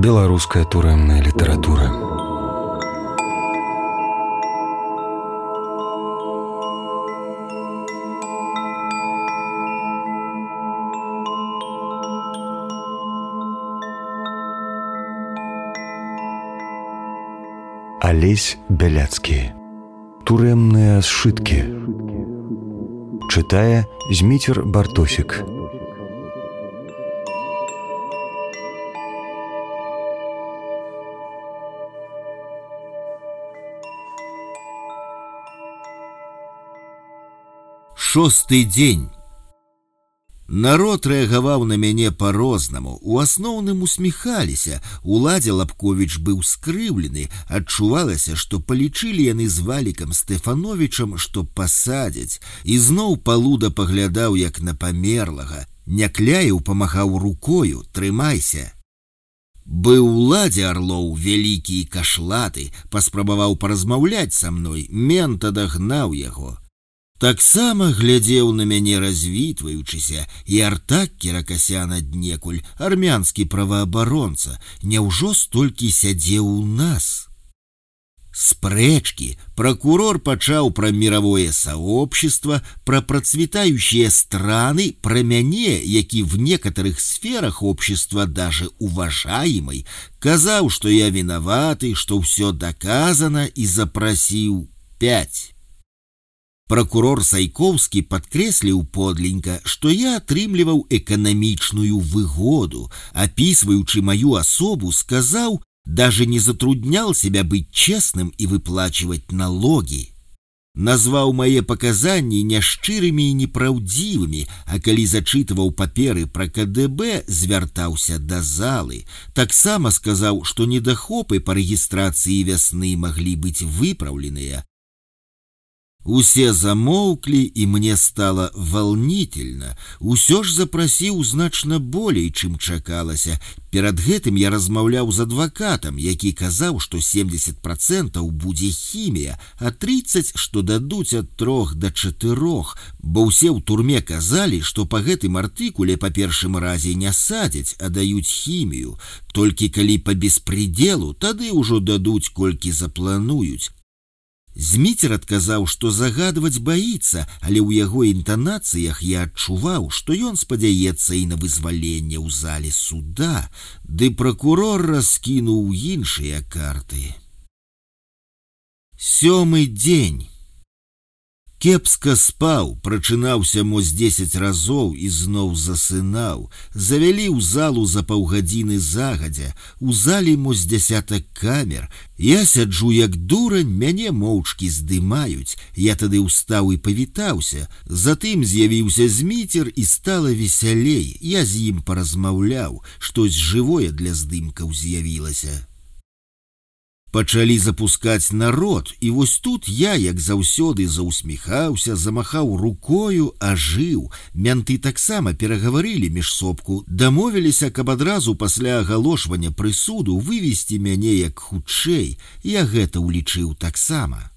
Беларуская турэмная літаратура. Алесь Бяляцкі. Турэмныя сшыткі. Чытае Зміцер Бартосік. Шосты дзень. Народ рэагаваў на мяне па-рознаму. У асноўным усміхаліся. Уладзе Лапковіч быў скрыўлены. Адчувалася, што палічылі яны з Валікам Стэфановічам, што пасадзяць. І зноў Палуда паглядаў, як на памерлага. Някляеў памахаў рукою: «Трымайся». Быў уладзе Арлоў вялікі і кашлаты. Паспрабаваў паразмаўляць са мной. Мент адагнаў яго. Таксама глядзеў на мяне развітваючыся, і Артак Кіракасян аднекуль, армянскі праваабаронца. Няўжо столькі сядзеў у нас? Спрэчкі. Прокурор пачаў пра мировое сообщество, пра процветающие страны, пра мяне, які в некоторых сферах общества даже уважаемый, казаў, што я виноваты, што ўсё доказано, і запросіў 5. Прокурор Сайковскі падкрэсліў подленька, што я атрымліваў эканамічную выгоду. Опісваючы мою асобу, сказаў, даже не затруднял себя быть честным и выплачивать налоги. Назваў мае паказанні няшчырымі і непраўдзівымі, а калі зачытываў паперы пра КДБ, звяртаўся да залы. Таксама сказаў, што недахопы па рэгістрацыі вясны маглі быць выпраўленыя. Усе замоўклі, і мне стало волнительно. Усё ж запрасіў значна болей, чым чакалася. Перад гэтым я размаўляў з адвакатам, які казаў, што 70% будзе хімія, а 30% што дадуць ад 3 до 4, бо ўсе ў турме казалі, што па гэтым артыкуле па першым разе не садзяць, а даюць хімію. Толькі калі па беспределу, тады ўжо дадуць, колькі заплануюць. Зміцер адказаў, што загадваць баіцца, але ў яго інтанацыях я адчуваў, што ён спадзяецца і на вызваленне ў зале суда, ды прокурор раскінуў іншыя карты. Сёмы дзень. Кепска спаў, прачынаўся мо з 10 разоў і зноў засынаў. Завялі ў залу за паўгадзіны загадзя. У зале мо з 10 камер. Я сяджу як дурань, мяне моўчкі здымаюць. Я тады ўстаў і павітаўся. Затым з'явіўся Зміцер і стала весялей. Я з ім паразмаўляў, штось жывое для здымкаў з'явілася. Пачалі запускаць народ, і вось тут я, як заўсёды, заусміхаўся, замахаў рукою, ажыў. Мянты таксама перагаварылі міжсобку, дамовіліся, каб адразу пасля агалошвання прысуду вывесці мяне як хутчэй. Я гэта ўлічыў таксама.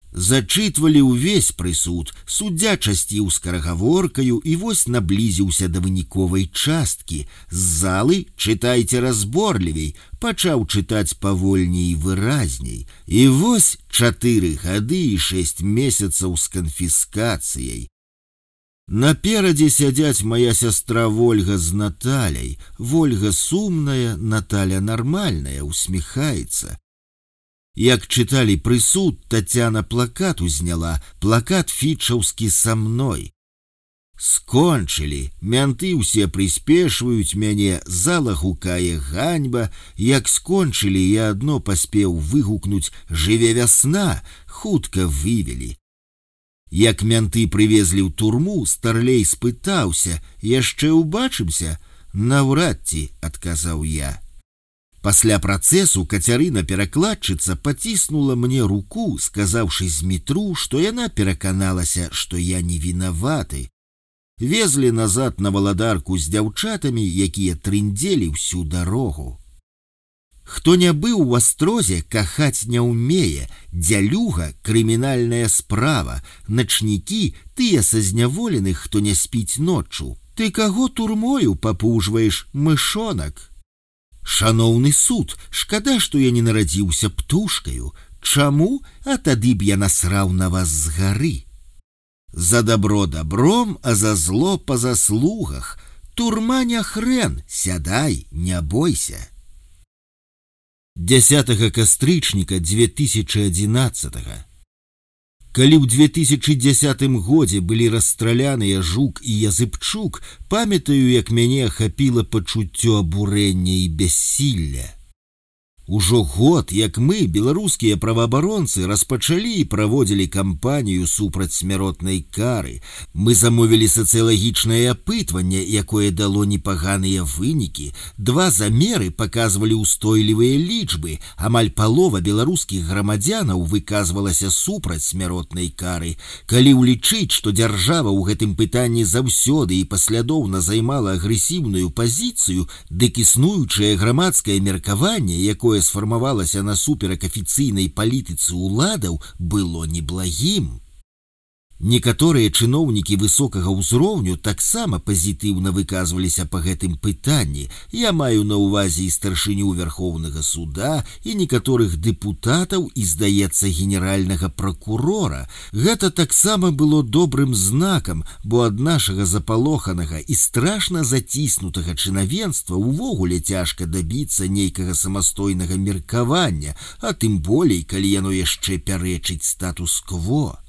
Зачытвалі ўвесь прысуд, суддзя часціў скарагаворкаю і вось наблізіўся да выніковай часткі. З залы «Чытайце разборлівей», пачаў чытаць павольней і выразней. І вось 4 гады і 6 месяцаў з канфіскацыяй. Наперадзе сядзяць моя сястра Вольга з Наталяй. Вольга сумная, Наталя нармальная, усміхаецца. Як чыталі прысуд, Тацяна плакат узняла, плакат фічаўскі са мной. Скончылі, мянты ўсе прыспешваюць мяне, зала гукае ганьба. Як скончылі, я адно паспеў выгукнуць «Жыве вясна», хутка вывелі. Як мянты прывезлі ў турму, старлей спытаўся: «Яшчэ ўбачымся?» «Наўрад ці», адказаў я. Пасля працэсу Кацярына-перакладчыца паціснула мне руку, сказаўшы Змітру, што яна пераканалася, што я не вінаваты. Везлі назад на валадарку з дзяўчатамі, якія трындзелі ўсю дарогу. Хто не быў у Астрозе, кахаць не ўмее. Дзялюга — крымінальная справа. Начнікі — тыя са зняволеных, хто не спіць ноччу. Ты каго турмою папужваеш, мышонак? Шаноўны суд, шкада, што я не нарадзіўся птушкаю. Чаму? А тады б я насраў на вас з гары. За добро добром, а за зло по заслугах. Турма не хрен, сядай, не бойся. 10 кастрычніка 2011. Калі ў 2010 годзе былі расстраляныя Жук і Языбчук, памятаю, як мяне ахапіла пачуццё абурэння і бяссілля. Ужо год, як мы, беларускія праваабаронцы, распачалі і праводзілі кампанію супраць смяротнай кары. Мы замовілі сацыялагічнае апытванне, якое дало непаганыя вынікі. 2 замеры паказвалі ўстойлівыя лічбы. Амаль палова беларускіх грамадзянаў выказвалася супраць смяротнай кары. Калі ўлічыць, што дзяржава ў гэтым пытанні заўсёды і паслядоўна займала агрэсіўную пазіцыю, дык існуючае грамадскае меркаванне, якое сфармавалася насуперак афіцыйнай палітыцы ўладаў, было неблагім. Некаторыя чыноўнікі высокага ўзроўню таксама пазітыўна выказваліся па гэтым пытанні. Я маю на ўвазе і старшыню Верхоўнага суда, і некаторых дэпутатаў, і, здаецца, генеральнага пракурора. Гэта таксама было добрым знакам, бо ад нашага запалоханага і страшна заціснутага чынавенства ўвогуле цяжка дабіцца нейкага самастойнага меркавання, а тым болей, калі яно яшчэ пярэчыць статус-кво.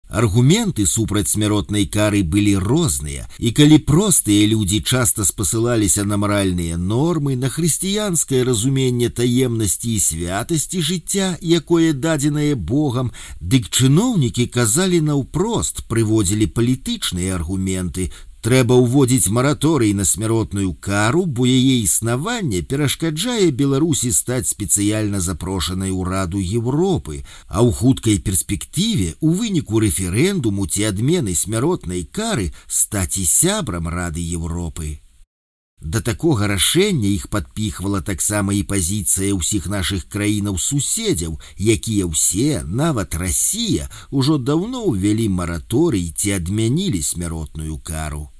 Аргументы супраць смяротнай кары былі розныя, і калі простыя людзі часта спасылаліся на маральныя нормы, на хрысціянскае разуменне таемнасці і святасці жыцця, якое дадзенае Богам, дык чыноўнікі казалі наўпрост, прыводзілі палітычныя аргументы. Трэба ўводзіць мараторый на смяротную кару, бо яе існаванне перашкаджае Беларусі стаць спецыяльна запрошанай у Раду Европы, а ў хуткай перспектыве у выніку рэферэндуму ці адмены смяротнай кары стаць і сябрам Рады Европы. Да такога рашэння іх падпіхвала таксама і пазіцыя ўсіх нашых краінаў-суседзяў, якія ўсе, нават Расія, ужо даўно ўвялі мараторый ці адмянілі смяротную кару.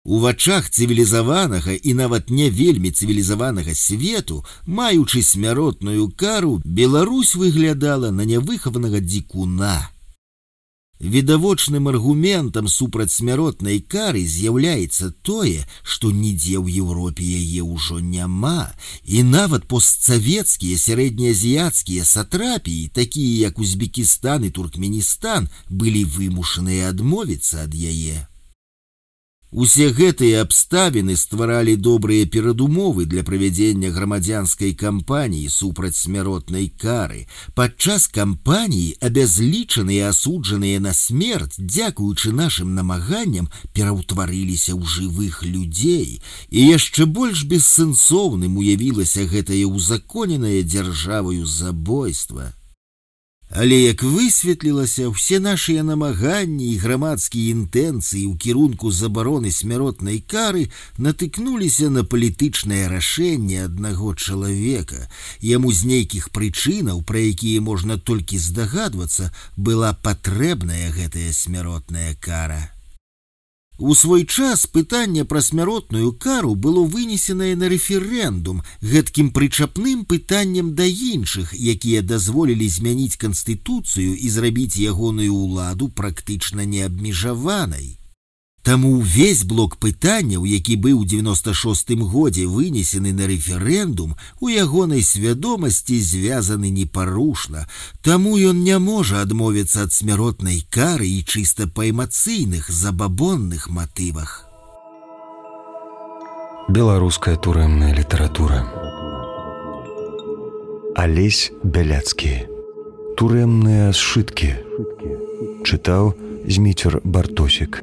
У вачах цывілізаванага і нават не вельмі цывілізаванага свету, маючы смяротную кару, Беларусь выглядала на нявыхаванага дзікуна. Відавочным аргументам супраць смяротнай кары з'яўляецца тое, што нідзе ў Еўропе яе ўжо няма, і нават постсавецкія сярэднеазіяцкія сатрапіі, такія як Узбекістан і Туркменістан, былі вымушаныя адмовіцца ад яе. Усе гэтыя абставіны стваралі добрыя перадумовы для правядзення грамадзянскай кампаніі супраць смяротнай кары. Падчас кампаніі абязлічаныя асуджаныя на смерць, дзякуючы нашым намаганням, пераўтварыліся ў жывых людзей, і яшчэ больш бессэнсоўным уявілася гэтае ўзаконенае дзяржаваю забойства. Але, як высветлілася, усе нашыя намаганні і грамадскія інтэнцыі ў кірунку забароны смяротнай кары натыкнуліся на палітычнае рашэнне аднаго чалавека. Яму з нейкіх прычынаў, пра якія можна толькі здагадвацца, была патрэбная гэтая смяротная кара. У свой час пытанне пра смяротную кару было вынесенае на рэферэндум, гэткім прычапным пытаннем да іншых, якія дазволілі змяніць канстытуцыю і зрабіць ягоную ўладу практычна неабмежаванай. Таму ўвесь блок пытанняў, які быў у 96-м годзе вынесены на рэферэндум, у ягонай свядомасці звязаны непарушна, таму ён не можа адмовіцца ад смяротнай кары і чыста па эмацыйных, забабонных матывах. Беларуская турэмная літаратура. Алесь Бяляцкі. Турэмныя сшыткі. Чытаў Зміцер Бартосік.